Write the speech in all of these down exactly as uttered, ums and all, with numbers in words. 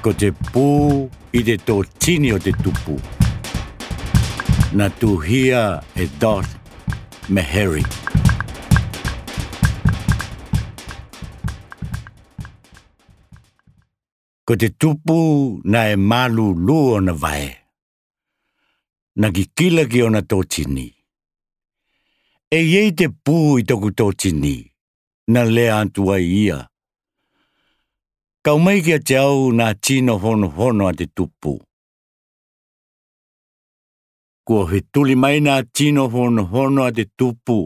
Ko te pū ʻi te tōtini o te tupu. Na tuhia e Dot Meharry. Ko te tupu naʻe mālūlū ona vae. Na kikila ki ona tōtini. ʻE ʻi ai te pū ʻi toku tōtini, na lea atu ai ia. Kau mai kiate au nā tino honohono a te tupu. Kua fetuli mai nā tino honohono a te tupu.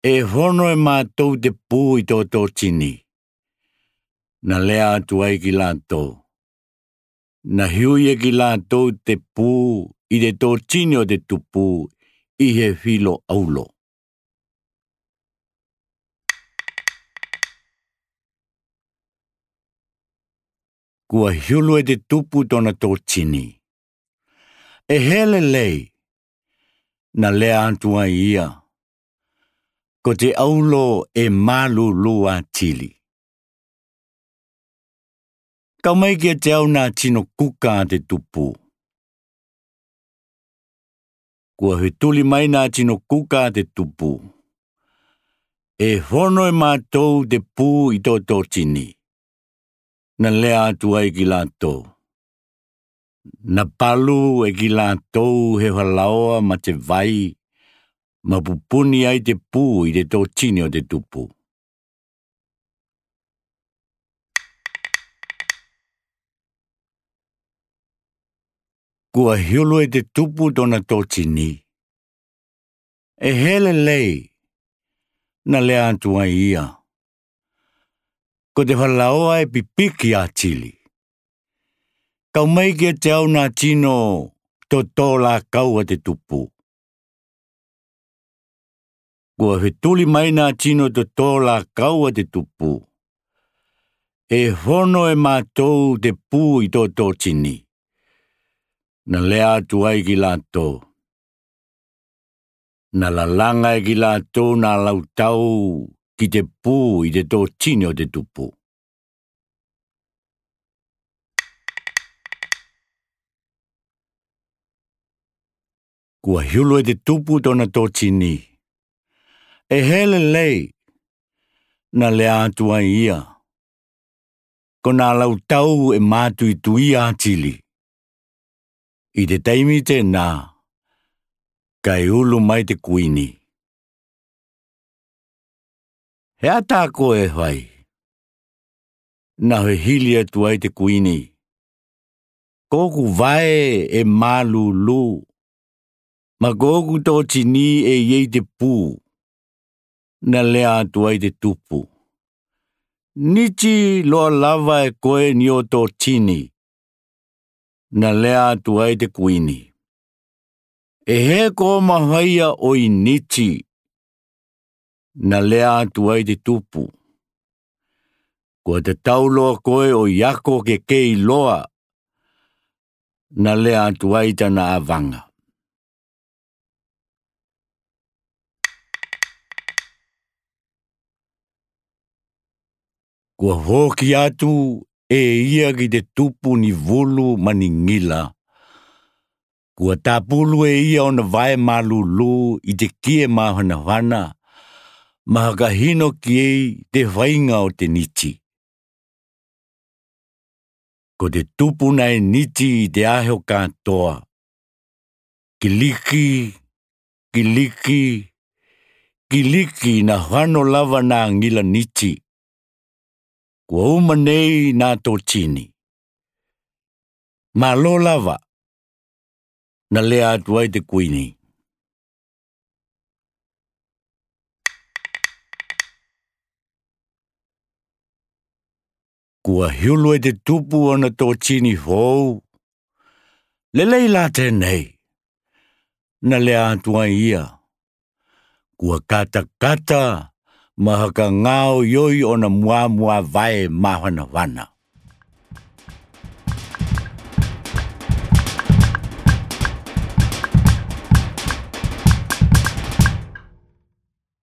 ʻE hono e mātou te pū ʻi tō tōtini. Na lea atu ai ki lātou. Na hiu ia ki lātou te pū ʻi te tōtini o te tupu ʻi he filo ʻaulo. Kua hiulu e te tupu tōna tōtini. ʻE hē lelei, na lea atu ai ia. Ko te ʻaulo ʻe mālūlū atili. Kau mai kiate au nā tino kuka a te tupu. Kua fetuli mai nā tino kuka a te tupu. ʻE hono e mātou te pū ʻi tō tōtini. Na lea atu ai ki lātou. Na palu e ki lātou he falaoa ma te vai, ma pupuni ai te pū ʻi te tōtini o te tupu. Kua hiulu e te tupu tōna tōtini. ʻE hē lelei, na lea atu ai ia. Ko te falaoa ʻe pipiki atili. Kau mai kiate au nā tino tōtōlākau a te tupu. Kua fetuli mai nā tino tōtōlākau a te tupu. ʻE hono e mātou te pū ʻi tō tōtini. Na lea atu ai ki lātou. Na lalanga e ki lātou nā lautau ki te pū ʻi te tōtini o te tupu. Kua hiulu e te tupu tōna tōtini. ʻE hē lelei, na lea atu ai ia. Ko nā lautau ʻe mātuitui atili. ʻI te taimi tēnā, kae ulu mai te kuini. He ata ko e fai. Na fehili atu ai te kuini. Ko ʻoku vae ʻe mālūlū. Ma ko ʻoku tōtini ʻe ʻi ai te pū. Na lea atu ai te tupu. Niti loa lava e koe ni o tōtini. Na lea atu ai te kuini. ʻE hē ko ma faia ʻo i niti. Na lea atu ai te tupu. Kua tatau loa koe ʻo i ako ke kei loa. Na lea atu ai tana avanga. Kua foki atu e ia ki te tupu ni vulu ma ni ngila. Kua tapulu e ia ona vae mālūlū ʻi te kie māfanafana, ma fakahino ki ai te fainga o te niti. Ko te tupu naʻe niti ʻi te aho kātoa. Kiliki, kiliki, kiliki na fano lava nā ngila niti. Kua uma nei nā tōtini. Mālō lava, na lea atu ai te kuini. Kua hiulu e te tupu ona tōtini fou. Lelei lā tēnei, na lea atu ai ia. Kua katakata ma fakangāoioi ona muāmuā vae māfanafana.